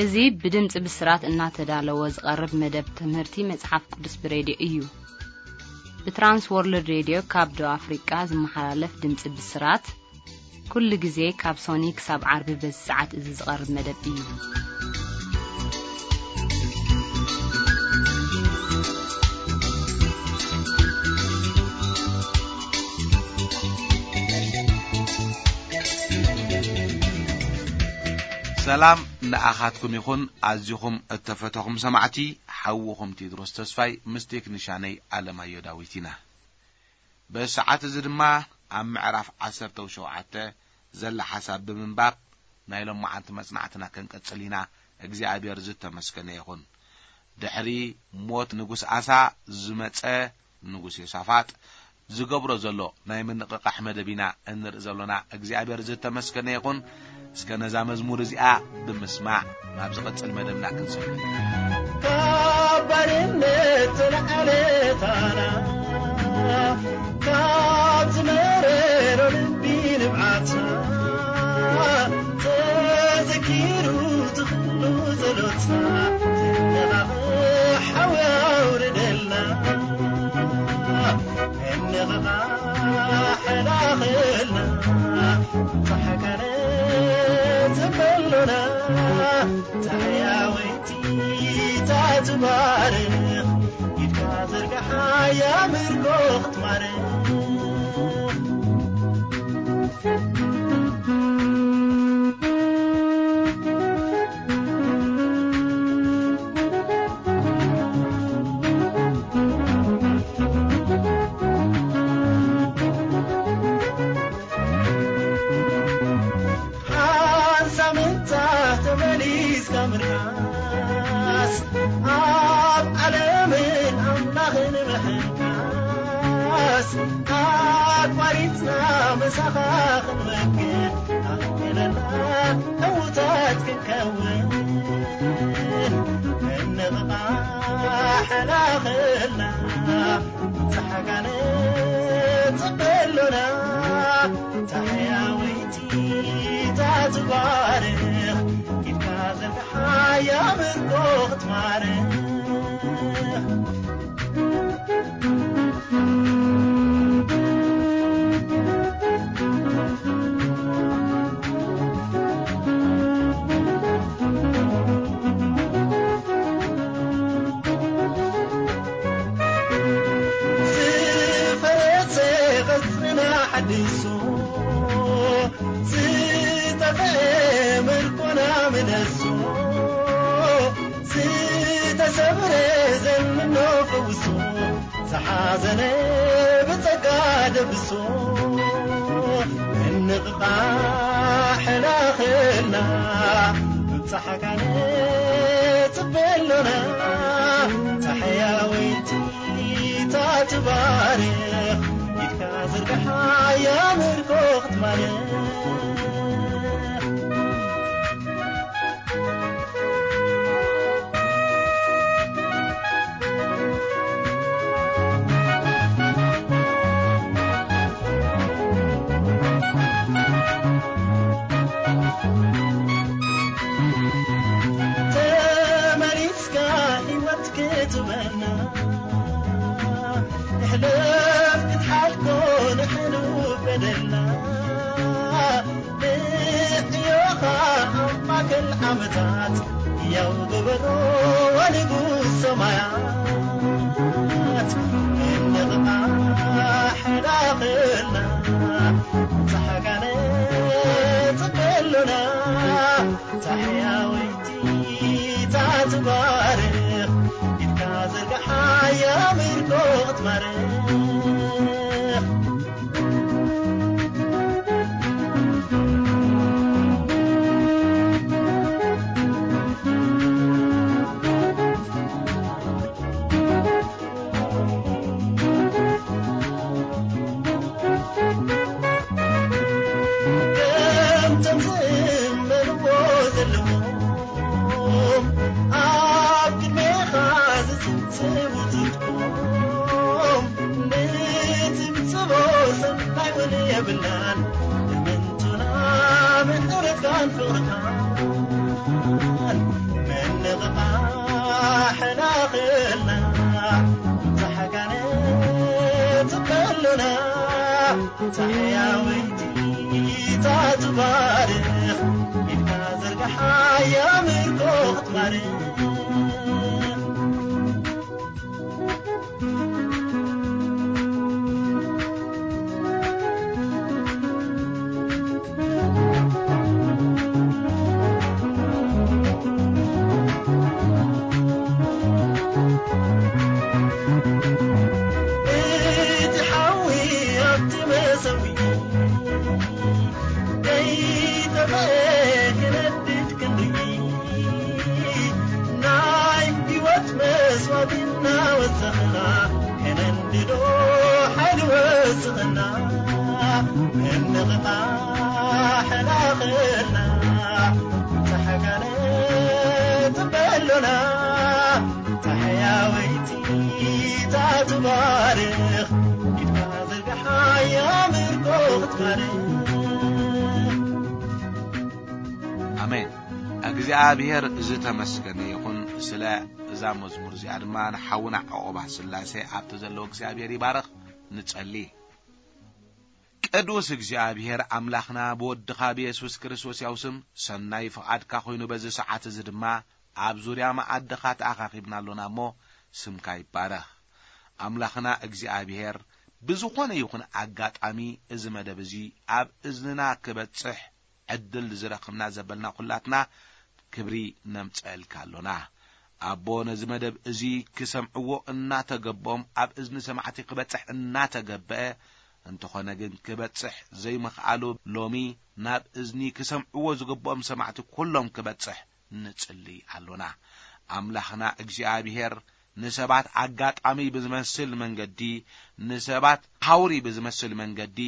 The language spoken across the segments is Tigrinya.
እዚ ብድምጺ ብስራት እናተዳለወ ዝቐርብ መደብ ትምህርቲ መጽሓፍ ቅዱስ ብሬድዮ እዩ። ብትራንስ ወርልድ ሬድዮ ካብ ደቡብ ኣፍሪቃ ዝመሓላለፍ ድምጺ ብስራት፣ ኩሉ ግዜ ካብ ሶኒ ክሳብ ዓርቢ በዚ ሰዓት እዚ ዝቐርብ መደብ እዩ። ሰላም ንኣኻትኩም ይኹን። ኣዚኹም እተፈተኹም ሰማዕቲ፣ ሓውኹም ቴድሮስ ተስፋይ ምስ ቴክኒሻነይ ኣለማዮ ዳዊት ኢና። ብሰዓት እዚ ድማ ኣብ ምዕራፍ ዓሰርተ ሸውዓተ ዘላ ሓሳብ ብምንባብ ናይ ሎማዓንቲ መጽናዕትና ክንቅጽል ኢና። እግዚኣብሔር ዝተመስገነ ይኹን። ድሕሪ ሞት ንጉስ ኣሳ ዝመጸ ንጉስ ዮሳፋጥ ዝገብሮ ዘሎ ናይ ምንቕቓሕ መደብ ኢና እንርኢ ዘሎና። እግዚኣብሔር ዝተመስገነ ይኹን። እስከ ነዛ መዝሙር እዚኣ ብምስማዕ ናብ ዝቕጽል መደብና ክንሰግር። ካብ ባርነት ተላዕለታና፣ ካብ ዝመረሮ ልቢ ንብዓትና፣ ተዘኪሩ ትኽሉ ጸሎትና፣ ተነቓቕ ሓዊ ኣውርደልና። እንቕቓሕ ላኽልና፣ ጻሕካነ ጽበሉና፣ ጻሕያወይቲ ታትባርኽ፣ ኢድካ ዘርግሓ ያምርኮ ክትማርኽ። ሓንሳብ ምንታ ተመሊስካ ምርካስ፣ ኣብ ዓለምን ኣምላኽን ምሕንካስ፣ ኣቋሪጽና ምሳኻ ክንመክት፣ ኣኽኢለና ዕዉታት ክንከውን፣ እንቕቓሕ ላኽልና፣ ጻሕካነ ጽበሉና፣ ጻሕያወይቲ ታትባርኽ፣ ኢድካ ዘርግሓ ያምርኮ ክትማርኽ። ዝፈረሰ ቅርጽና ሓድሶ፣ ዝጠፍአ ምርኮና ምለሶ፣ ዝተሰብረ ዘምኖ ፈውሶ፣ ዝሓዘነ ብጸጋ ደብሶ፣ እንቕቓሕ ላኽልና፣ ብብጻሕካ ንጽበ ኣሎና፣ ጻሕያወይቲ ትባርኽ፣ ኢድካ ዝርግሓ ያምርኮ ክትማርኽ። ተመሊስካ ህይወት ክትበና፣ ንሕለፍ ክትሓልኮ ንሕሉ በደልና። ንዕዮኻ ኣብ ማእከል ዓመታት፣ ያው ግበሮ ወንጉስ ሰማያት። እንቕቓሕ ዳኽልና፣ ጻሕካነ ጽበሉና፣ ጻሕያወይቲ ታትባርኽ፣ ኢድካ ዘርግሓ ያምርኮ ክትማርኽ። ከምቶም ዝእመንዎ ዘለዎም፣ ኣብ ቅድሜኻ ዝጽብጽቡ ጽድቆም፣ ንጽብጽቦ ሰናይ እውን የብልናን። እምንቶና ምሕረትካን ፍቕርካን፣ ጻሕያወይቲ ትባርኽ፣ ኢድካ ዘርግሓ የምልኮ ክትባርኽ። እቲ ሓዊ ኣብቲ መሰዊ ከይጠፍአ ክነድድ ክንርኢ፣ ናይ ህይወት መስዋእቲ እናወሰኽና፣ ከነንድዶ ሓይሊ ወስኽና። እንቕጣ ሕላኽልና፣ ጻሕጋለ ጽበሎና። ጻሕያወይቲ ትባርኽ፣ ኢድካ ዘርግሓ የምልኮ ክትባርኽ። ኣሜን። እግዚኣብሔር ዝተመስገነ ይኹን። ስለ እዛ መዝሙር እዚኣ ድማ ንሓውና ዕቑባ ስላሴ ኣብቲ ዘለዎ እግዚኣብሔር ይባርኽ። ንጸሊ። ቅዱስ እግዚኣብሔር ኣምላኽና፣ ብወድኻ ብየሱስ ክርስቶስ ያው ስም ሰናይ ፍቓድካ ኮይኑ፣ በዚ ሰዓት እዚ ድማ ኣብ ዙርያ መኣድኻ ተኣኻኺብና ኣሎና እሞ፣ ስምካ ይባረኽ። ኣምላኽና እግዚኣብሔር፣ ብዝኾነ ይኹን ኣጋጣሚ እዚ መደብ እዚ ኣብ እዝንና ክበጽሕ ዕድል ዝረኽብና ዘበልና ኩላትና ክብሪ ነምጸልካ ኣሎና። ኣቦ፣ ነዚ መደብ እዚ ክሰምዕዎ እናተገብኦም ኣብ እዝኒ ሰማዕቲ ክበጽሕ እናተገብአ፣ እንተኾነ ግን ክበጽሕ ዘይምኽኣሉ፣ ሎሚ ናብ እዝኒ ክሰምዕዎ ዝግብኦም ሰማዕቲ ኩሎም ክበጽሕ ንጽሊ ኣሎና። ኣምላኽና እግዚኣብሔር፣ ንሰባት ኣጋጣሚ ብዝመስል መንገዲ፣ ንሰባት ሃውሪ ብዝመስል መንገዲ፣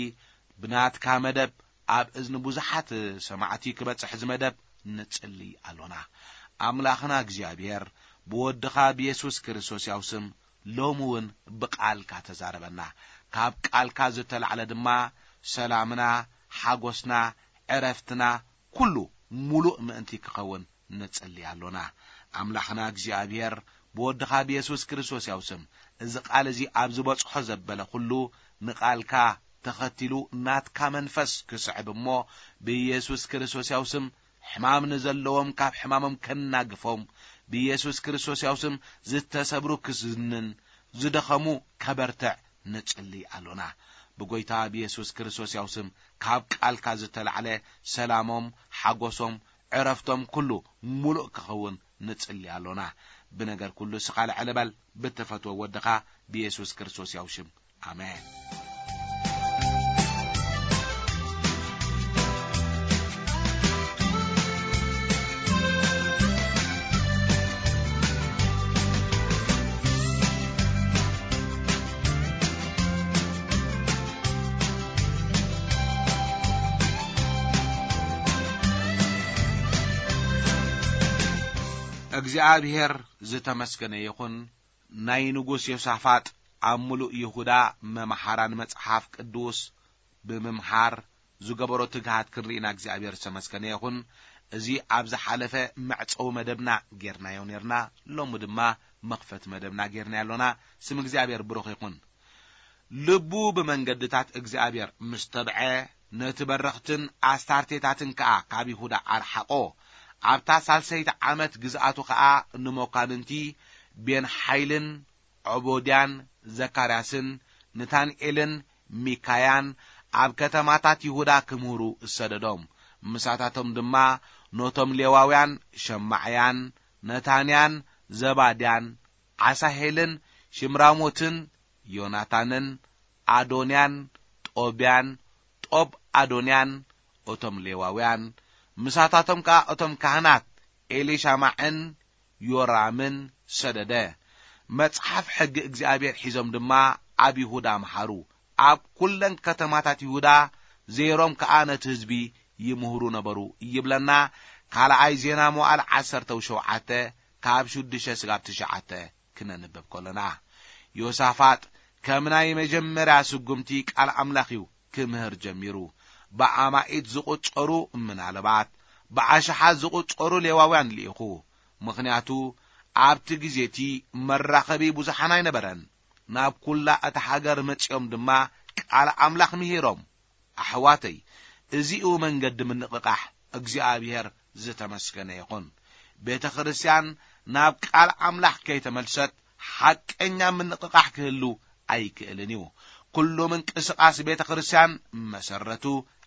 ብናትካ መደብ ኣብ እዝኒ ብዙሓት ሰማዕቲ ክበጽሕ እዚ መደብ ንጽሊ ኣሎና። ኣምላኽና እግዚኣብሔር፣ ብወድኻ ብየሱስ ክርስቶስ ያው ስም ሎሚ እውን ብቃልካ ተዛረበና። ካብ ቃልካ ዝተላዕለ ድማ ሰላምና፣ ሓጎስና፣ ዕረፍትና ኩሉ ሙሉእ ምእንቲ ክኸውን ንጽሊ ኣሎና። ኣምላኽና እግዚኣብሔር፣ ብወድኻ ብየሱስ ክርስቶስ ያው ስም፣ እዚ ቃል እዚ ኣብ ዝበጽሖ ዘበለ ኩሉ ንቃልካ ተኸቲሉ ናትካ መንፈስ ክስዕብ እሞ፣ ብየሱስ ክርስቶስ ያው ስም ሕማም ንዘለዎም ካብ ሕማሞም ከናግፎም፣ ብየሱስ ክርስቶስ ያው ስም ዝተሰብሩ ክዝንን ዝደኸሙ ከበርትዕ ንጽሊ ኣሎና። ብጎይታ ብየሱስ ክርስቶስ ያው ስም ካብ ቃልካ ዝተላዕለ ሰላሞም፣ ሓጎሶም፣ ዕረፍቶም ኩሉ ሙሉእ ክኸውን ንጽሊ ኣሎና። ብነገር ኩሉ እስኻ ልዕል በል፣ ብትፈትዎ ወድኻ ብየሱስ ክርስቶስ ያው ሽም። ኣሜን። እግዚኣብሔር ዝተመስገነ ይኹን። ናይ ንጉስ ዮሳፋጥ ኣብ ምሉእ ይሁዳ መምሃራን መጽሓፍ ቅዱስ ብምምሃር ዝገበሮ ትግሃት ክንርኢና እግዚኣብሔር ዝተመስገነ ይኹን። እዚ ኣብ ዝሓለፈ መዕጸዊ መደብና ጌርናዮ ኔርና፣ ሎሚ ድማ መኽፈቲ መደብና ጌርናዮ ኣሎና። ስም እግዚኣብሔር ብሩኽ ይኹን። ልቡ ብመንገድታት እግዚኣብሔር ምስ ተብዐ፣ ነቲ በረኽትን ኣስታርቴታትን ከኣ ካብ ይሁዳ ኣርሓቖ። ኣብታ ሳልሰይቲ ዓመት ግዝኣቱ ኸኣ ንመኳንንቲ ቤንሓይልን ዖቦድያን ዘካርያስን ንታንኤልን ሚካያን ኣብ ከተማታት ይሁዳ ክምህሩ እሰደዶም። ምሳታቶም ድማ ነቶም ሌዋውያን ሸማዕያን፣ ነታንያን፣ ዘባድያን፣ ዓሳሄልን፣ ሽምራሞትን፣ ዮናታንን፣ ኣዶንያን፣ ጦብያን፣ ጦብ ኣዶንያን፣ እቶም ሌዋውያን፣ ምሳታቶም ከኣ እቶም ካህናት ኤሊሻማዕን ዮራምን ሰደደ። መጽሓፍ ሕጊ እግዚኣብሔር ሒዞም ድማ ኣብ ይሁዳ መሃሩ። ኣብ ኩለን ከተማታት ይሁዳ ዘይሮም ከኣ ነቲ ህዝቢ ይምህሩ ነበሩ ይብለና። ካልኣይ ዜና መዋዕል ዓሰርተ ሸውዓተ ካብ ሽዱሽተ ስጋብ ትሽዓተ ክነንብብ ከለና፣ ዮሳፋጥ ከም ናይ መጀመርያ ስጉምቲ ቃል ኣምላኽ እዩ ክምህር ጀሚሩ። ብኣማኢት ዝቑጸሩ፣ ምናልባት ብኣሽሓት ዝቑጸሩ ሌዋውያን ልኢኹ። ምኽንያቱ ኣብቲ ግዜ እቲ መራኸቢ ብዙሓን ኣይነበረን። ናብ ኩላ እታ ሃገር መጺኦም ድማ ቃል ኣምላኽ ምሂሮም። ኣሕዋተይ፣ እዚኡ መንገዲ ምንቕቓሕ እግዚኣብሔር ዝተመስገነ ይኹን። ቤተ ክርስቲያን ናብ ቃል ኣምላኽ ከይተመልሰት ሓቀኛ ምንቕቓሕ ክህሉ ኣይክእልን እዩ። ኩሉ ምንቅስቓስ ቤተ ክርስቲያን መሰረቱ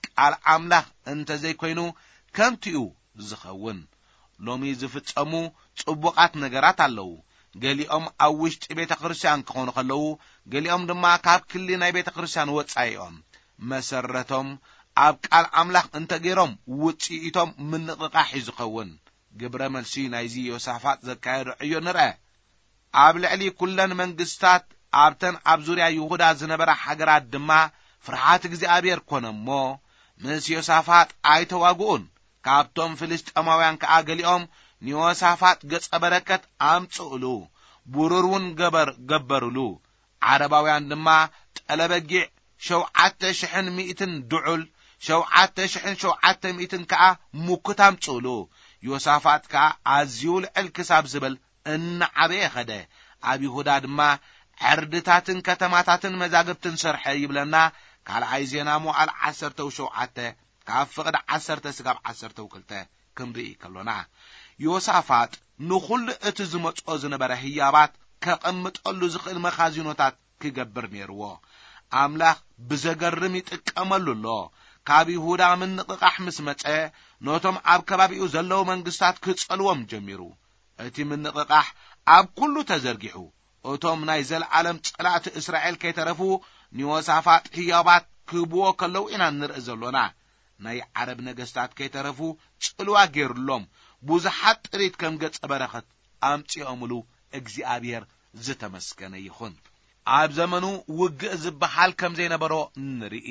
ቃል ኣምላኽ እንተ ዘይኮይኑ ከንቱ እዩ ዝኸውን። ሎሚ ዝፍጸሙ ጽቡቓት ነገራት ኣለዉ። ገሊኦም ኣብ ውሽጢ ቤተ ክርስቲያን ክኾኑ ከለዉ፣ ገሊኦም ድማ ካብ ክሊ ናይ ቤተ ክርስቲያን ወጻኢ እዮም። መሰረቶም ኣብ ቃል ኣምላኽ እንተ ገይሮም፣ ውጽኢቶም ምንቕቓሕ እዩ ዝኸውን። ግብረ መልሲ ናይዚ ዮሳፋጥ ዘካየዶ ዕዮ ንርአ። ኣብ ልዕሊ ኩለን መንግስታት፣ ኣብተን ኣብ ዙርያ ይሁዳ ዝነበራ ሃገራት ድማ ፍርሃት እግዚኣብሔር ኮነ እሞ፣ ምስ ዮሳፋጥ ኣይተዋግኡን። ካብቶም ፍልስጤማውያን ከኣ ገሊኦም ንዮሳፋጥ ገጸ በረከት ኣምጽኡሉ፣ ብሩር እውን ገበር-፣ ገበሩሉ። ዓረባውያን ድማ ጠለበጊዕ ሸውዓተ ሽሕን ሚእትን ድዑል፣ ሸውዓተ ሽሕን ሸውዓተ ሚእትን ከኣ ሙኩት ኣምጽኡሉ። ዮሳፋጥ ከኣ ኣዝዩ ልዕል ክሳብ ዝበል እናዓበየ ኸደ። ኣብ ይሁዳ ድማ ዕርድታትን ከተማታትን መዛግብትን ሰርሐ ይብለና። ካልኣይ ዜና መዋዕል ዓሰርተው ሸውዓተ፣ ካብ ፍቕዲ ዓሰርተ ስጋብ ዓሰርተው ክልተ ክንርኢ ከሎና፣ ዮሳፋጥ ንኹሉ እቲ ዝመጽኦ ዝነበረ ህያባት ከቐምጠሉ ዝኽእል መኻዚኖታት ክገብር ነይርዎ። ኣምላኽ ብዘገርም ይጥቀመሉ ኣሎ። ካብ ይሁዳ ምንቕቓሕ ምስ መጸ፣ ነቶም ኣብ ከባቢኡ ዘለዉ መንግስታት ክጸልዎም ጀሚሩ። እቲ ምንቕቓሕ ኣብ ኩሉ ተዘርጊሑ። እቶም ናይ ዘለዓለም ጸላእቲ እስራኤል ከይተረፉ ንዮሳፋጥ ህያባት ክህብዎ ከለዉ ኢና ንርኢ ዘሎና። ናይ ዓረብ ነገስታት ከይተረፉ ጽልዋ ገይሩሎም፣ ብዙሓት ጥሪት ከም ገጸ በረኸት ኣምጺኦምሉ። እግዚኣብሔር ዝተመስገነ ይኹን። ኣብ ዘመኑ ውግእ ዝበሃል ከም ዘይነበሮ ንርኢ።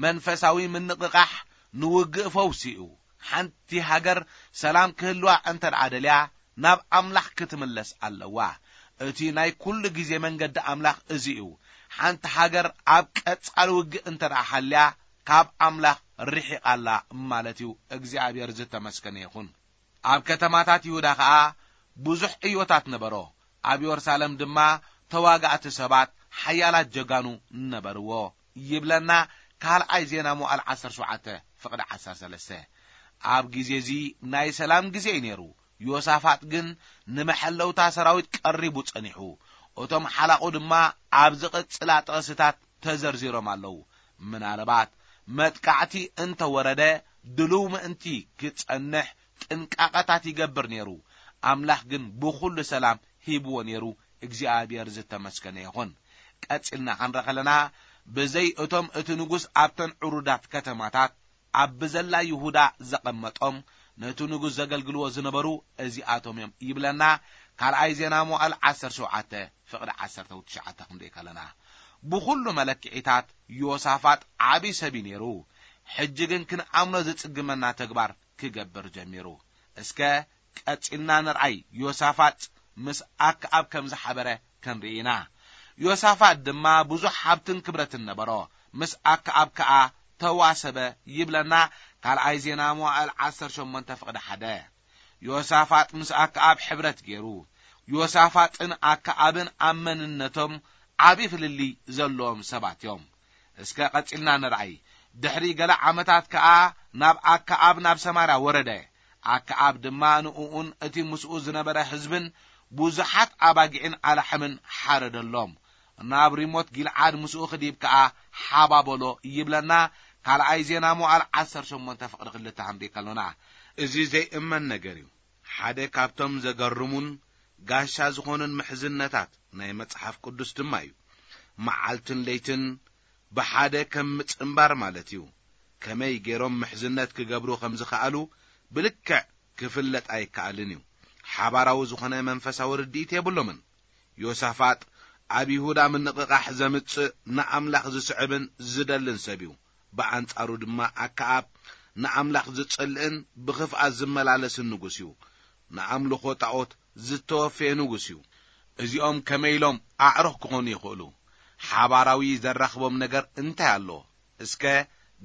መንፈሳዊ ምንቕቓሕ ንውግእ ፈውሲ እዩ። ሓንቲ ሃገር ሰላም ክህልዋ እንተ ደኣ ደልያ፣ ናብ ኣምላኽ ክትምለስ ኣለዋ። እቲ ናይ ኩሉ ግዜ መንገዲ ኣምላኽ እዚ እዩ። ሓንቲ ሃገር ኣብ ቀጻሊ ውግእ እንተ ደኣ ሃልያ፣ ካብ ኣምላኽ ርሒቓ ኣላ ማለት እዩ። እግዚኣብሔር ዝተመስገነ ይኹን። ኣብ ከተማታት ይሁዳ ኸኣ ብዙሕ ዕዮታት ነበሮ። ኣብ የሩሳሌም ድማ ተዋጋእቲ ሰባት ሓያላት ጀጋኑ ነበርዎ ይብለና ካልኣይ ዜና መዋዕል ዓሰርተ ሸውዓተ ፍቕዲ ዓሰርተ ሰለስተ። ኣብ ግዜ እዚ ናይ ሰላም ግዜ እዩ ነይሩ። ዮሳፋጥ ግን ንመሐለውታ ሰራዊት ቀሪቡ ጸኒሑ። እቶም ሓላቑ ድማ ኣብ ዝቕጽላ ጥቕስታት ተዘርዚሮም ኣለዉ። ምናልባት መጥቃዕቲ እንተ ወረደ ድሉው ምእንቲ ክጸንሕ ጥንቃቐታት ይገብር ነይሩ። ኣምላኽ ግን ብኹሉ ሰላም ሂብዎ ነይሩ። እግዚኣብሔር ዝተመስገነ ይኹን። ቀጺልና ክንርኢ ከለና፣ ብዘይ እቶም እቲ ንጉስ ኣብተን ዕሩዳት ከተማታት ኣብ ብዘላ ይሁዳ ዘቐመጦም፣ ነቲ ንጉስ ዘገልግልዎ ዝነበሩ እዚኣቶም እዮም ይብለና። ካልኣይ ዜና መዋዕል ዓሰርተ ሸውዓተ ፍቕዲ ዓሰርተ ትሽዓተ ክንርኢ ከለና፣ ብኹሉ መለክዒታት ዮሳፋጥ ዓቢ ሰብ እዩ ነይሩ። ሕጂ ግን ክንኣምኖ ዝጽግመና ተግባር ክገብር ጀሚሩ። እስከ ቀጺልና ንርኣይ፣ ዮሳፋጥ ምስ ኣክኣብ ከም ዝሓበረ ክንርኢ ኢና። ዮሳፋጥ ድማ ብዙሕ ሃብትን ክብረትን ነበሮ፣ ምስ ኣክኣብ ከኣ ተዋሰበ ይብለና ካልኣይ ዜና መዋዕል ዓሰርተ ሸሞንተ ፍቕዲ ሓደ። ዮሳፋጥ ምስ ኣክኣብ ሕብረት ገይሩ። ዮሳፋጥን ኣክኣብን ኣብ መንነቶም ዓቢ ፍልልይ ዘለዎም ሰባት እዮም። እስከ ቀጺልና ንርኣይ። ድሕሪ ገለ ዓመታት ከኣ ናብ ኣክኣብ ናብ ሰማርያ ወረደ። ኣክኣብ ድማ ንእኡን እቲ ምስኡ ዝነበረ ህዝብን ብዙሓት ኣባጊዕን ኣላሕምን ሓረደሎም። ናብ ሪሞት ጊልዓድ ምስኡ ክዲብ ከኣ ሓባበሎ ይብለና ካልኣይ ዜና መዋዕል ዓሰርተ ሸሞንተ ፍቕዲ ክልተ ክንርኢ ከሎና። እዚ ዘይእመን ነገር እዩ። ሓደ ካብቶም ዘገርሙን ጋሻ ዝኾኑን ምሕዝነታት ናይ መጽሓፍ ቅዱስ ድማ እዩ። መዓልትን ለይትን ብሓደ ከም ምጽንባር ማለት እዩ። ከመይ ገይሮም ምሕዝነት ክገብሩ ከም ዝኸኣሉ ብልክዕ ክፍለጥ ኣይከኣልን እዩ። ሓባራዊ ዝኾነ መንፈሳዊ ርድኢት የብሎምን። ዮሳፋጥ ኣብ ይሁዳ ምንቕቓሕ ዘምጽእ ንኣምላኽ ዝስዕብን ዝደልን ሰብ እዩ። ብኣንጻሩ ድማ ኣክኣብ ንኣምላኽ ዝጸልእን ብኽፍኣት ዝመላለስን ንጉስ እዩ። ንኣምልኾ ጣኦት ዝተወፈየ ንጉስ እዩ። እዚኦም ከመይ ኢሎም ኣዕሩኽ ክኾኑ ይኽእሉ? ሓባራዊ ዘራኽቦም ነገር እንታይ ኣሎ? እስከ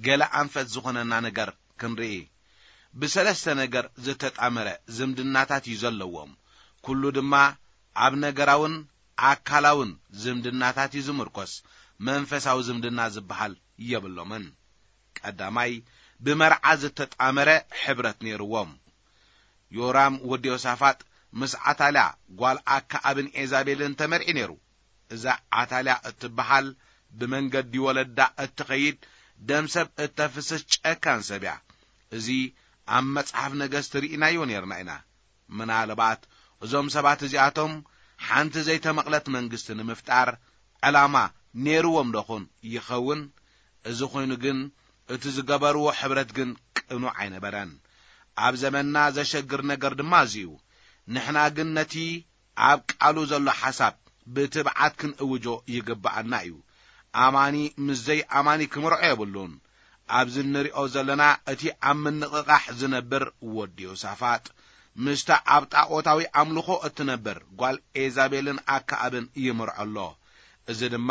ገለ ኣንፈት ዝኾነና ነገር ክንርኢ። ብሰለስተ ነገር ዝተጣመረ ዝምድናታት እዩ ዘለዎም። ኩሉ ድማ ኣብ ነገራውን ኣካላውን ዝምድናታት እዩ ዝምርኮስ። መንፈሳዊ ዝምድና ዝበሃል የብሎምን። ቀዳማይ፣ ብመርዓ ዝተጣመረ ሕብረት ነይርዎም። ዮራም ወዲ ዮሳፋጥ ምስ ዓታልያ ጓል ኣክዓብን ኤዛቤልን ተመርዒ ነይሩ። እዛ ዓታልያ እትበሃል ብመንገዲ ወለዳ እትኸይድ ደም ሰብ እተፍስስ ጨካን ሰብ እያ። እዚ ኣብ መጽሓፍ ነገስት ርኢናዮ ነርና ኢና። ምናልባት እዞም ሰባት እዚኣቶም ሓንቲ ዘይተመቕለት መንግስቲ ንምፍጣር ዕላማ ነይርዎም ዶኹን ይኸውን? እዚ ኮይኑ ግን እቲ ዝገበርዎ ሕብረት ግን ቅኑዕ ኣይነበረን። ኣብ ዘመንና ዘሸግር ነገር ድማ እዚ እዩ። ንሕና ግን ነቲ ኣብ ቃሉ ዘሎ ሓሳብ ብትብዓት ክንእውጆ ይግብኣና እዩ። ኣማኒ ምስ ዘይኣማኒ ክምርዖ የብሉን። ኣብዚ እንሪኦ ዘለና እቲ ኣብ ምንቕቓሕ ዝነብር ወዲ ዮሳፋጥ ምስታ ኣብ ጣዖታዊ ኣምልኾ እትነብር ጓል ኤዛቤልን ኣክዓብን ይምርዖ ኣሎ። እዚ ድማ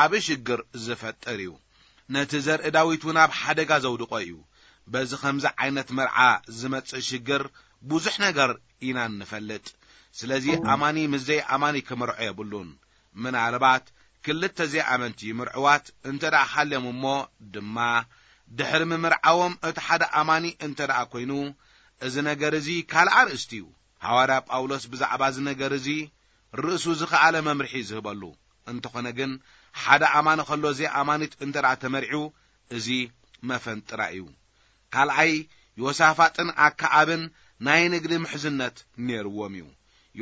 ዓቢ ሽግር ዝፈጥር እዩ። ነቲ ዘርኢ ዳዊት እውን ኣብ ሓደጋ ዘውድቖ እዩ። በዚ ኸምዚ ዓይነት መርዓ ዝመጽእ ሽግር ብዙሕ ነገር ኢና እንፈልጥ። ስለዚ ኣማኒ ምስ ዘይኣማኒ ክምርዖ የብሉን። ምናልባት ክልተ ዘይኣመንቲ ምርዕዋት እንተ ደኣ ሃልዮም እሞ ድማ ድሕሪ ምምርዓዎም እቲ ሓደ ኣማኒ እንተ ደኣ ኮይኑ፣ እዚ ነገር እዚ ካልእ ኣርእስቲ እዩ። ሃዋርያ ጳውሎስ ብዛዕባ እዚ ነገር እዚ ርእሱ ዝኸኣለ መምርሒ ዝህበሉ። እንተኾነ ግን ሓደ ኣማኒ ከሎ ዘይኣማኒት እንተ ደኣ ተመርዒው፣ እዚ መፈንጥራ እዩ። ካልኣይ፣ ዮሳፋጥን ኣክዓብን ናይ ንግዲ ምሕዝነት ነይርዎም እዩ።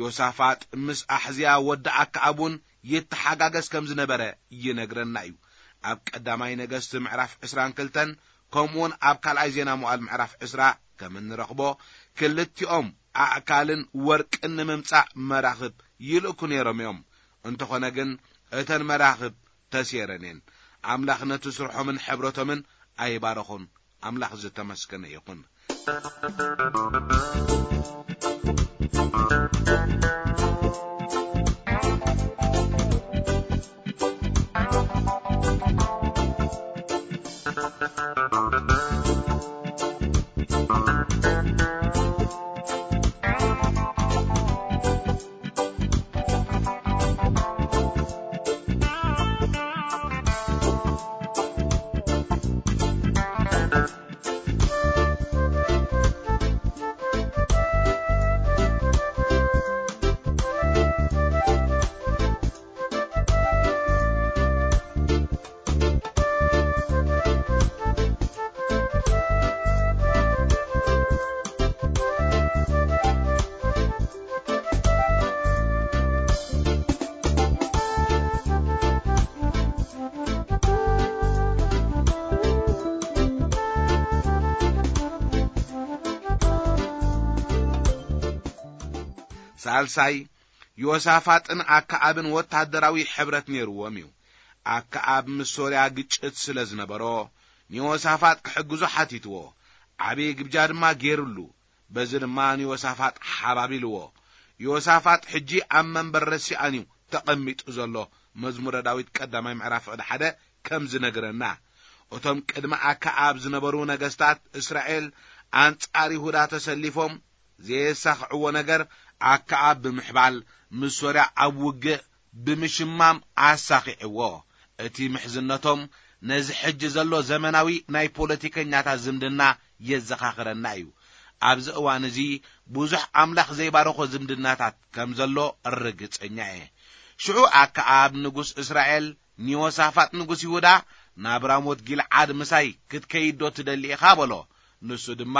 ዮሳፋጥ ምስ ኣሕዝያ ወዲ ኣክዓብ እውን ይተሓጋገዝ ከም ዝነበረ ይነግረና እዩ። ኣብ ቀዳማይ ነገስቲ ምዕራፍ ዕስራን ክልተን ከምኡውን ኣብ ካልኣይ ዜና መዋዕል ምዕራፍ ዕስራ ከም እንረኽቦ፣ ክልቲኦም ኣእካልን ወርቅን ንምምጻእ መራኽብ ይልእኩ ነይሮም እዮም። እንተኾነ ግን እተን መራኽብ ተሴረን እየን። ኣምላኽ ነቲ ስርሖምን ሕብረቶምን ኣይባረኹን። ኣምላኽ ዝተመስገነ ይኹን። ሳልሳይ፣ ዮሳፋጥን ኣክዓብን ወታደራዊ ሕብረት ነይርዎም እዩ። ኣክዓብ ምስ ሶርያ ግጭት ስለ ዝነበሮ፣ ንዮሳፋጥ ክሕግዞ ሓቲትዎ። ዓብዪ ግብጃ ድማ ገይሩሉ። በዚ ድማ ንዮሳፋጥ ሓባቢልዎ። ዮሳፋጥ ሕጂ ኣብ መንበር ረሲኣን እዩ ተቐሚጡ ዘሎ። መዝሙረ ዳዊት ቀዳማይ ምዕራፍ ፍቕዲ ሓደ ከም ዝነግረና፣ እቶም ቅድሚ ኣክዓብ ዝነበሩ ነገስታት እስራኤል ኣንጻር ይሁዳ ተሰሊፎም ዘየሳኽዕዎ ነገር፣ ኣክዓብ ብምሕባል፣ ምስ ሶርያ ኣብ ውግእ ብምሽማም ኣሳኺዕዎ። እቲ ምሕዝነቶም ነዚ ሕጂ ዘሎ ዘመናዊ ናይ ፖለቲከኛታት ዝምድና የዘኻኽረና እዩ። ኣብዚ እዋን እዚ ብዙሕ ኣምላኽ ዘይባረኾ ዝምድናታት ከም ዘሎ ርግጸኛ እየ። ሽዑ ኣክዓብ ንጉስ እስራኤል ንዮሳፋጥ ንጉስ ይሁዳ፣ ናብ ራሞት ጊልዓድ ምሳይ ክትከይድ ዶ ትደሊ ኢኻ? በሎ። ንሱ ድማ፣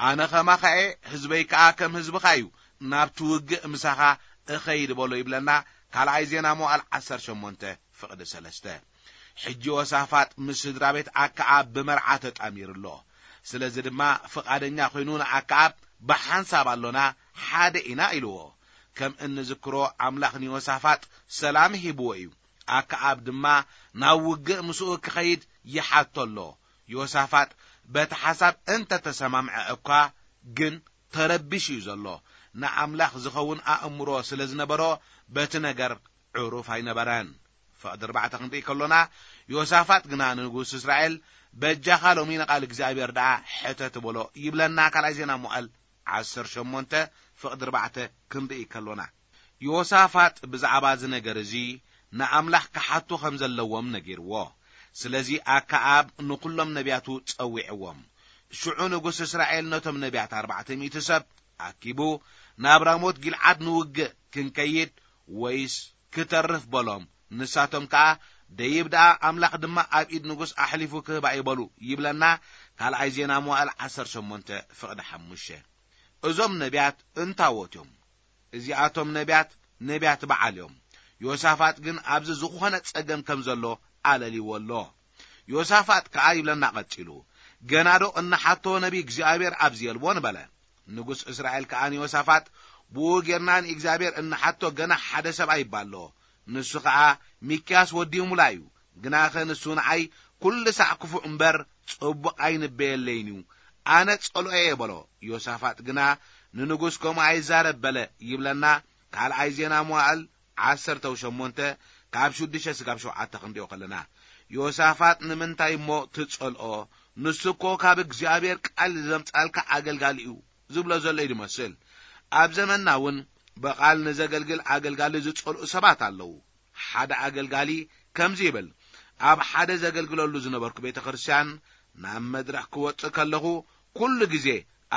ኣነ ኸማኻ እየ፣ ህዝበይ ከኣ ከም ህዝብኻ እዩ፣ ናብቲ ውግእ ምሳኻ እኸይድ በሎ ይብለና። ካልኣይ ዜና መዋዕል ዓሰርተ ሸሞንተ ፍቕዲ ሰለስተ። ሕጂ ዮሳፋጥ ምስ ስድራ ቤት ኣክዓብ ብመርዓ ተጣሚሩ ኣሎ። ስለዚ ድማ ፍቓደኛ ኮይኑ ንኣክዓብ ብሓንሳብ ኣሎና፣ ሓደ ኢና ኢልዎ። ከም እንዝክሮ ኣምላኽ ንዮሳፋጥ ሰላም ሂብዎ እዩ። ኣክዓብ ድማ ናብ ውግእ ምስኡ ክኸይድ ይሓቶ ኣሎ። ዮሳፋጥ በቲ ሓሳብ እንተ ተሰማምዐ እኳ ግን ተረቢሹ እዩ ዘሎ። ንኣምላኽ ዝኸውን ኣእምሮ ስለ ዝነበሮ በቲ ነገር ዕሩፍ ኣይነበረን። ፍቕዲ ኣርባዕተ ክንርኢ ከሎና፣ ዮሳፋጥ ግና ንንጉስ እስራኤል፣ በጃኻ ሎሚ ንቓል እግዚኣብሔር ደኣ ሕተት በሎ ይብለና። ካልኣይ ዜና መዋዕል ዓሰርተ ሸሞንተ ፍቕዲ ኣርባዕተ ክንርኢ ከሎና፣ ዮሳፋጥ ብዛዕባ እዚ ነገር እዚ ንኣምላኽ ክሓቱ ከም ዘለዎም ነጊርዎ። ስለዚ ኣከኣብ ንኹሎም ነቢያቱ ጸዊዕዎም። ሽዑ ንጉስ እስራኤል ነቶም ነቢያት ኣርባዕተ ሚእቲ ሰብ ኣኪቡ፣ ናብ ራሞት ጊልዓድ ንውግእ ክንከይድ ወይስ ክተርፍ በሎም። ንሳቶም ከኣ፣ ደይብ ደኣ ኣምላኽ ድማ ኣብ ኢድ ንጉስ ኣሕሊፉ ክህባ እዩ በሉ ይብለና። ካልኣይ ዜና መዋእል ዓሰርተ ሸሞንተ ፍቕዲ ሓሙሽተ። እዞም ነቢያት እንታዎት እዮም። እዚኣቶም ነቢያት፣ ነቢያት በዓል እዮም። ዮሳፋጥ ግን ኣብዚ ዝኾነ ጸገም ከም ዘሎ ኣለልይዎ ኣሎ። ዮሳፋጥ ከኣ ይብለና ቀጺሉ፣ ገናዶ እንሓቶ ነቢ እግዚኣብሔር ኣብዚ የልቦን በለ። ንጉስ እስራኤል ከኣ ንዮሳፋጥ፣ ብኡ ጌርና ንእግዚኣብሔር እንሓቶ ገና ሓደ ሰብ ኣይባሎ። ንሱ ኸኣ ሚክያስ ወዲ ይሙላ እዩ። ግናኸ ንሱ ንዓይ ኩሉ ሳዕ ክፉእ እምበር ጽቡቕ ኣይንበየለይን እዩ። ኣነ ጸልኦ እየ በሎ። ዮሳፋጥ ግና ንንጉስ ከምኡ ኣይዛረብ በለ ይብለና። ካልኣይ ዜና መዋእል ዓሰርተ ሸሞንተ ካብ ሽዱሽተ ስጋብ ሸውዓተ ክንሪኦ ከለና፣ ዮሳፋጥ ንምንታይ እሞ ትጸልኦ? ንሱ እኮ ካብ እግዚኣብሔር ቃል ዘምጻልካ ኣገልጋሊ እዩ ዝብሎ ዘሎ እዩ ዝመስል። ኣብ ዘመንና እውን ብቓል ንዘገልግል ኣገልጋሊ ዝጸልኡ ሰባት ኣለዉ። ሓደ ኣገልጋሊ ከምዚ ይብል፣ ኣብ ሓደ ዘገልግለሉ ዝነበርኩ ቤተ ክርስቲያን ናብ መድረኽ ክወጽእ ከለኹ ኩሉ ግዜ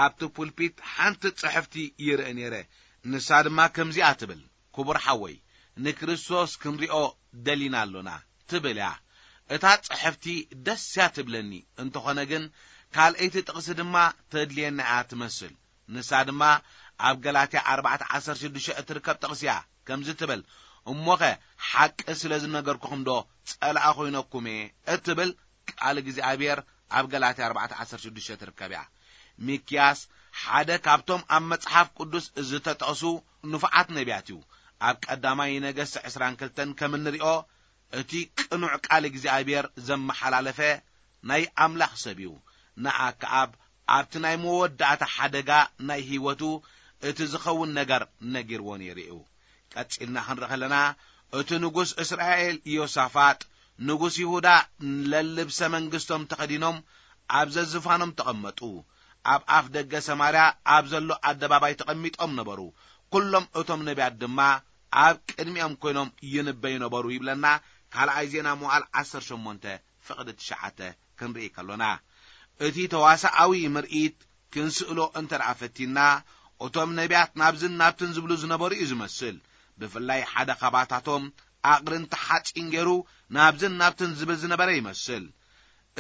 ኣብቲ ፑልፒት ሓንቲ ጽሕፍቲ ይርኢ ነይረ። ንሳ ድማ ከምዚኣ ትብል፣ ክቡር ሓወይ፣ ንክርስቶስ ክንሪኦ ደሊና ኣሎና ትብል እያ። እታ ጽሕፍቲ ደስ እያ ትብለኒ፣ እንተኾነ ግን ካልኣይቲ ጥቕሲ ድማ ተድልየና እያ ትመስል። ንሳ ድማ ኣብ ገላትያ ኣርባዕተ ዓሰርተ ሽዱሽተ እትርከብ ጥቕሲ እያ። ከምዚ ትብል፣ እሞኸ ሓቂ ስለ ዝነገርኩኹም ዶ ጸላኢ ኮይነኩም እየ እትብል ቃል እግዚኣብሔር ኣብ ገላትያ ኣርባዕተ ዓሰርተ ሽዱሽተ ትርከብ እያ። ሚክያስ ሓደ ካብቶም ኣብ መጽሓፍ ቅዱስ ዝተጠቕሱ ንፉዓት ነቢያት እዩ። ኣብ ቀዳማይ ነገስት ዕስራን ክልተን ከም እንሪኦ፣ እቲ ቅኑዕ ቃል እግዚኣብሔር ዘመሓላለፈ ናይ ኣምላኽ ሰብ እዩ። ንኣከኣብ ኣብቲ ናይ መወዳእታ ሓደጋ ናይ ህይወቱ እቲ ዝኸውን ነገር ነጊርዎ ነይሩ እዩ። ቀጺልና ክንርኢ ከለና፣ እቲ ንጉስ እስራኤል ዮሳፋጥ፣ ንጉስ ይሁዳ፣ ለልብሰ መንግስቶም ተኸዲኖም ኣብ ዘዝፋኖም ተቐመጡ። ኣብ ኣፍ ደገ ሰማርያ ኣብ ዘሎ ኣደባባይ ተቐሚጦም ነበሩ። ኩሎም እቶም ነቢያት ድማ ኣብ ቅድሚኦም ኮይኖም ይንበዩ ነበሩ ይብለና ካልኣይ ዜና መዋዕል ዓሰርተ ሸሞንተ ፍቕዲ ትሽዓተ ክንርኢ ከሎና፣ እቲ ተዋሳኣዊ ምርኢት ክንስእሎ እንተ ደኣ ፈቲንና፣ እቶም ነቢያት ናብዝን ናብትን ዝብሉ ዝነበሩ እዩ ዝመስል። ብፍላይ ሓደ ካባታቶም ኣቕርንቲ ሓጺን ገይሩ ናብዝን ናብትን ዝብል ዝነበረ ይመስል።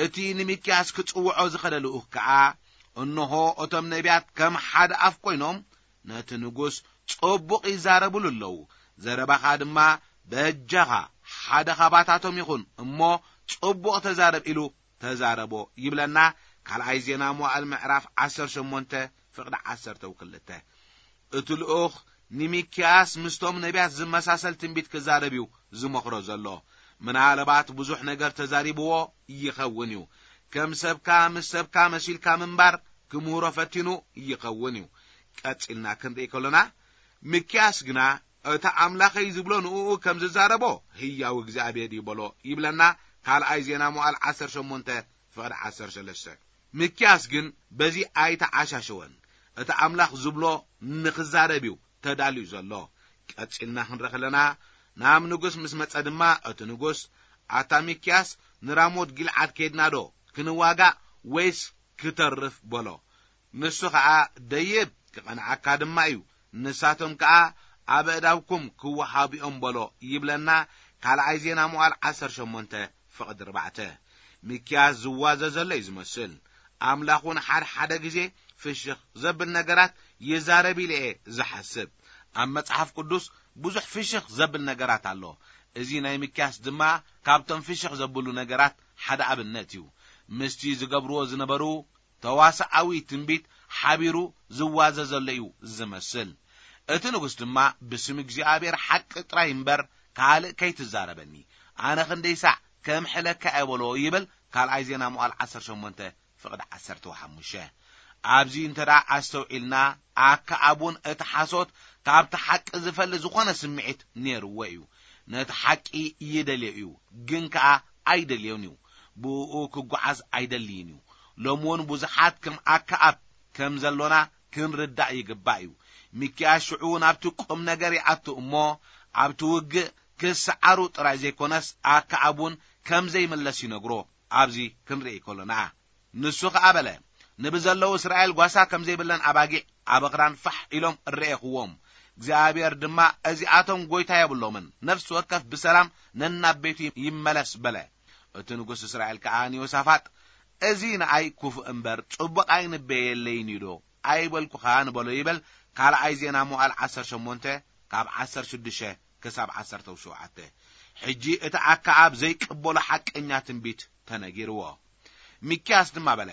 እቲ ንሚክያስ ክጽውዖ ዝኸደ ልኡኽ ከኣ፣ እንሆ፣ እቶም ነቢያት ከም ሓደ ኣፍ ኰይኖም ነቲ ንጉስ ጽቡቕ ይዛረቡሉ ኣለዉ። ዘረባኻ ድማ በጃኻ ሓደ ኻባታቶም ይኹን እሞ ጽቡቕ ተዛረብ ኢሉ ተዛረቦ ይብለና። ካልኣይ ዜና መዋዕል ምዕራፍ ዓሰርተ ሸሞንተ ፍቕዲ ዓሰርተ ወክልተ። እቲ ልኡኽ ንሚክያስ ምስቶም ነቢያት ዝመሳሰል ትንቢት ክዛረብ እዩ ዝመኽሮ ዘሎ። ምናልባት ብዙሕ ነገር ተዛሪብዎ ይኸውን እዩ። ከም ሰብካ ምስ ሰብካ መሲልካ ምንባር ክምህሮ ፈቲኑ ይኸውን እዩ። ቀጺልና ክንርኢ ከሎና፣ ሚክያስ ግና፣ "እቲ ኣምላኸይ ዝብሎ ንእኡ ከም ዝዛረቦ ህያው እግዚኣብሔር እዩ" በሎ ይብለና ካልኣይ ዜና መዋዕል ዓሰርተ ሸሞንተ ፍቕዲ ዓሰርተ ሰለስተ። ሚክያስ ግን በዚ ኣይተዓሻሸወን። እቲ ኣምላኽ ዝብሎ ንኽዛረብ እዩ ተዳልዩ ዘሎ። ቀጺልና ክንርኢ ከለና፣ ናብ ንጉስ ምስ መጸ ድማ፣ እቲ ንጉስ፣ "ኣታ ሚክያስ፣ ንራሞት ጊልዓድ ከይድና ዶ ክንዋጋእ ወይስ ክተርፍ?" በሎ። ንሱ ኸኣ፣ "ደይብ፣ ክቐንዓካ ድማ እዩ። ንሳቶም ከኣ ኣብ ኣእዳውኩም ክወሃቡ እዮም" በሎ ይብለና ካልኣይ ዜና መዋዕል ዓሰርተ ሸሞንተ ፍቕዲ ኣርባዕተ። ሚክያስ ዝዋዘ ዘሎ እዩ ዝመስል። ኣምላኽ እውን ሓደ ሓደ ግዜ ፍሽኽ ዘብል ነገራት ይዛረብ ኢለ እየ ዝሓስብ። ኣብ መጽሓፍ ቅዱስ ብዙሕ ፍሽኽ ዘብል ነገራት ኣሎ። እዚ ናይ ሚክያስ ድማ ካብቶም ፍሽኽ ዘብሉ ነገራት ሓደ ኣብነት እዩ። ምስቲ ዝገብርዎ ዝነበሩ ተዋስኣዊ ትንቢት ሓቢሩ ዝዋዘ ዘሎ እዩ ዝመስል። እቲ ንጉስ ድማ፣ "ብስም እግዚኣብሔር ሓቂ ጥራይ እምበር ካልእ ከይትዛረበኒ፣ ኣነ ክንደይ ሳዕ ከምሕለካ እየ" በሎ ይብል ካልኣይ ዜና መዋዕል ዓሰርተ ሸሞንተ ፍቕዲ ዓሰርተ ሓሙሽተ። ኣብዚ እንተ ደኣ ኣስተውዒልና፣ ኣከኣብ እውን እቲ ሓሶት ካብቲ ሓቂ ዝፈሊ ዝኾነ ስምዒት ነይርዎ እዩ። ነቲ ሓቂ ይደልዮ እዩ፣ ግን ከኣ ኣይደልዮን እዩ። ብእኡ ክጓዓዝ ኣይደልይን እዩ። ሎሚ እውን ብዙሓት ከም ኣከኣብ ከም ዘሎና ክንርዳእ ይግባእ እዩ። ሚክያስ ሽዑ ናብቲ ቁም ነገር ይኣቱ እሞ፣ ኣብቲ ውግእ ክሰዓሩ ጥራይ ዘይኮነስ ኣከኣብ እውን ከም ዘይምለስ ይነግሮ። ኣብዚ ክንርኢ ከሎና ንሱ ኸኣ በለ፣ ንብዘለዉ እስራኤል ጓሳ ከም ዘይብለን ኣባጊዕ ኣብ ኣኽራን ፋሕ ኢሎም እረኤኽዎም። እግዚኣብሔር ድማ፣ እዚኣቶም ጐይታ የብሎምን፣ ነፍሲ ወከፍ ብሰላም ነናብ ቤቱ ይመለስ በለ። እቲ ንጉስ እስራኤል ከኣ ንዮሳፋጥ፣ እዚ ንኣይ ክፉእ እምበር ጽቡቕ ኣይንበየለይን እዩ ዶ ኣይበልኩኻን በሎ ይብል። ካልኣይ ዜና መዋዕል ዓሰርተ ሸሞንተ ካብ ዓሰርተ ሽዱሽተ ክሳብ ዓሰርተ ሸውዓተ። ሕጂ እቲ ኣከኣብ ዘይቅበሎ ሓቀኛ ትንቢት ተነጊርዎ። ሚክያስ ድማ በለ፣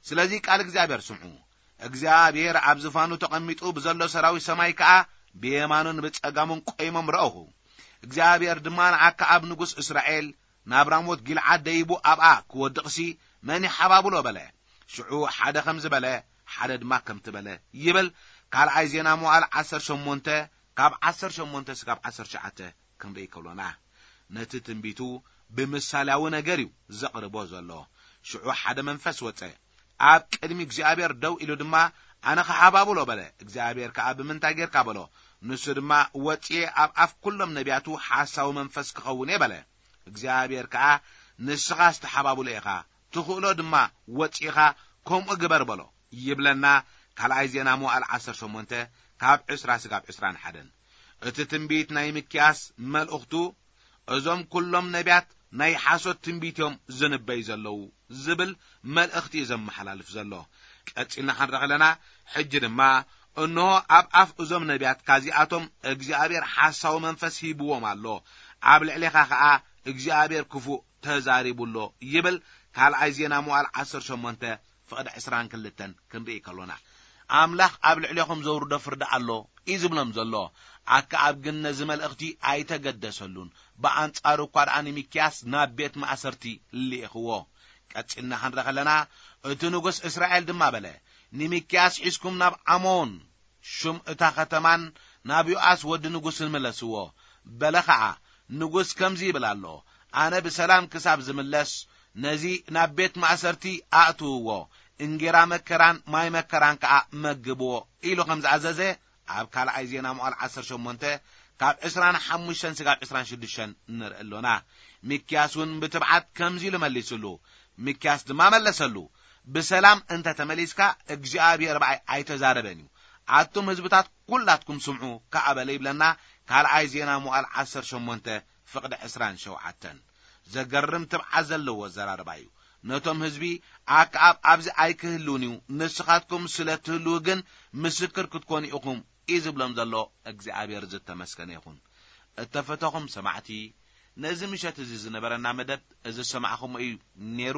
ስለዚ ቃል እግዚኣብሔር ስምዑ። እግዚኣብሔር ኣብ ዝፋኑ ተቐሚጡ ብዘሎ ሰራዊት ሰማይ ከኣ ብየማኑን ብጸጋሙን ቆይሞም ረእኹ። እግዚኣብሔር ድማ ንኣከኣብ ንጉስ እስራኤል ናብ ራሞት ጊልዓድ ደይቡ ኣብኣ ክወድቕሲ መን ይሓባብሎ በለ። ሽዑ ሓደ ከምዚ በለ፣ ሓደ ድማ ከምቲ በለ ይብል። ካልኣይ ዜና መዋዕል ዓሰርተ ሸሞንተ ካብ ዓሰርተ ሸሞንተ ስጋብ ዓሰርተ ትሽዓተ ክንርኢ ከሎና፣ ነቲ ትንቢቱ ብምሳሌያዊ ነገር እዩ ዘቕርቦ ዘሎ። ሽዑ ሓደ መንፈስ ወጸ፣ ኣብ ቅድሚ እግዚኣብሔር ደው ኢሉ ድማ፣ ኣነ ኸሓባብሎ በለ። እግዚኣብሔር ከኣ፣ ብምንታይ ጌርካ በሎ። ንሱ ድማ፣ ወጽኤ ኣብ ኣፍ ኩሎም ነቢያቱ ሓሳዊ መንፈስ ክኸውን እየ በለ። እግዚኣብሔር ከኣ፣ ንስኻ ዝተሓባብሎ ኢኻ፣ ትኽእሎ ድማ፣ ወጺእኻ ከምኡ ግበር በሎ ይብለና። ካልኣይ ዜና መዋዕል ዓሰርተ ሸሞንተ ካብ ዕስራ ስጋብ ዕስራን ሓደን። እቲ ትንቢት ናይ ሚክያስ መልእኽቱ፣ እዞም ኩሎም ነቢያት ናይ ሓሶት ትንቢት እዮም ዝንበዩ ዘለዉ ዝብል መልእኽቲ እዩ ዘመሓላልፍ ዘሎ። ቀጺልና ክንርኢ ከለና፣ ሕጂ ድማ፣ እንሆ ኣብ ኣፍ እዞም ነቢያት ካዚኣቶም እግዚኣብሔር ሓሳዊ መንፈስ ሂብዎም ኣሎ፣ ኣብ ልዕሌኻ ኸኣ እግዚኣብሔር ክፉእ ተዛሪቡ ኣሎ ይብል። ካልኣይ ዜና መዋዕል ዓሰርተ ሸሞንተ ፍቕዲ ዕስራን ክልተን ክንርኢ ከሎና፣ ኣምላኽ ኣብ ልዕሌኹም ዘውርዶ ፍርዲ ኣሎ እዩ ዝብሎም ዘሎ። ኣከኣብ ግን ነዚ መልእኽቲ ኣይተገደሰሉን። ብኣንጻሩ እኳ ደኣ ንሚክያስ ናብ ቤት ማእሰርቲ ልኢኽዎ። ቀጺልና ክንርኢ ከለና፣ እቲ ንጉስ እስራኤል ድማ በለ፣ ንሚክያስ ሒዝኩም ናብ ዓሞን፣ ሹም እታ ኸተማን ናብ ዮኣስ ወዲ ንጉስን ምለስዎ። በለ ኸኣ፣ ንጉስ ከምዚ ይብል ኣሎ፣ ኣነ ብሰላም ክሳብ ዝምለስ፣ ነዚ ናብ ቤት ማእሰርቲ ኣእትውዎ፣ እንጌራ መከራን ማይ መከራን ከኣ መግብዎ ኢሉ ከም ዝኣዘዘ፣ ኣብ ካልኣይ ዜና መዋዕል ዓሰርተ ሸሞንተ ካብ ዕስራን ሓሙሽተን ስጋብ ዕስራን ሽዱሽተን ንርኢ ኣሎና። ሚክያስ እውን ብትብዓት ከምዚ ኢሉ መሊስሉ። ሚክያስ ድማ መለሰሉ፣ ብሰላም እንተ ተመሊስካ እግዚኣብሔር ብኣይ ኣይተዛረበን እዩ። ኣቱም ህዝብታት ኩላትኩም ስምዑ ከኣ በለ ይብለና። ካልኣይ ዜና መዋዕል ዓሰርተ ሸሞንተ ፍቕዲ ዕስራን ሸውዓተን። ዘገርም ትብዓት ዘለዎ ኣዘራርባ እዩ። ነቶም ህዝቢ፣ ኣከኣብ ኣብዚ ኣይክህልውን እዩ፣ ንስኻትኩም ስለ ትህልዉ ግን ምስክር ክትኮኑ ኢኹም እዩ ዝብሎም ዘሎ። እግዚኣብሔር ዝተመስገነ ይኹን። እተፈተኹም ሰማዕቲ፣ ነዚ ምሸት እዚ ዝነበረና መደብ እዚ ዝሰማዕኹሞ እዩ ነይሩ።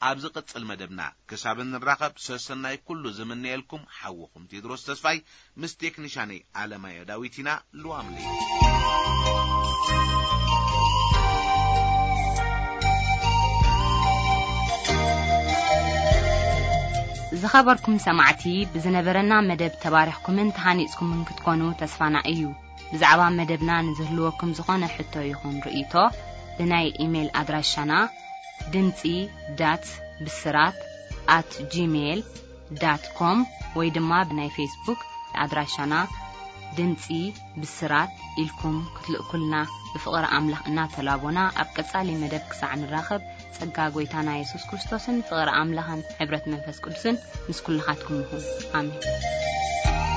ኣብ ዝቕጽል መደብና ክሳብ እንራኸብ ሰሰናይ ኩሉ ዝምነየልኩም ሓውኹም ቴድሮስ ተስፋይ ምስ ቴክኒሻነይ ኣለማዮ ዳዊት ኢና። ልዋም ለይቲ። ዝኸበርኩም ሰማዕቲ፣ ብዝነበረና መደብ ተባሪኽኩምን ተሃኒጽኩምን ክትኮኑ ተስፋና እዩ። ብዛዕባ መደብና ንዝህልወኩም ዝኾነ ሕቶ ይኹን ርእይቶ፣ ብናይ ኢሜይል ኣድራሻና ድምጺ ዳት ብስራት ኣት ጂሜይል ዳት ኮም ወይ ድማ ብናይ ፌስቡክ ኣድራሻና ድምጺ ብስራት ኢልኩም ክትልእኩልና ብፍቕሪ ኣምላኽ እናተላቦና፣ ኣብ ቀጻሊ መደብ ክሳዕ ንራኸብ፣ ጸጋ ጐይታና የሱስ ክርስቶስን ፍቕሪ ኣምላኽን ሕብረት መንፈስ ቅዱስን ምስ ኩልኻትኩም ይኹን። ኣሜን።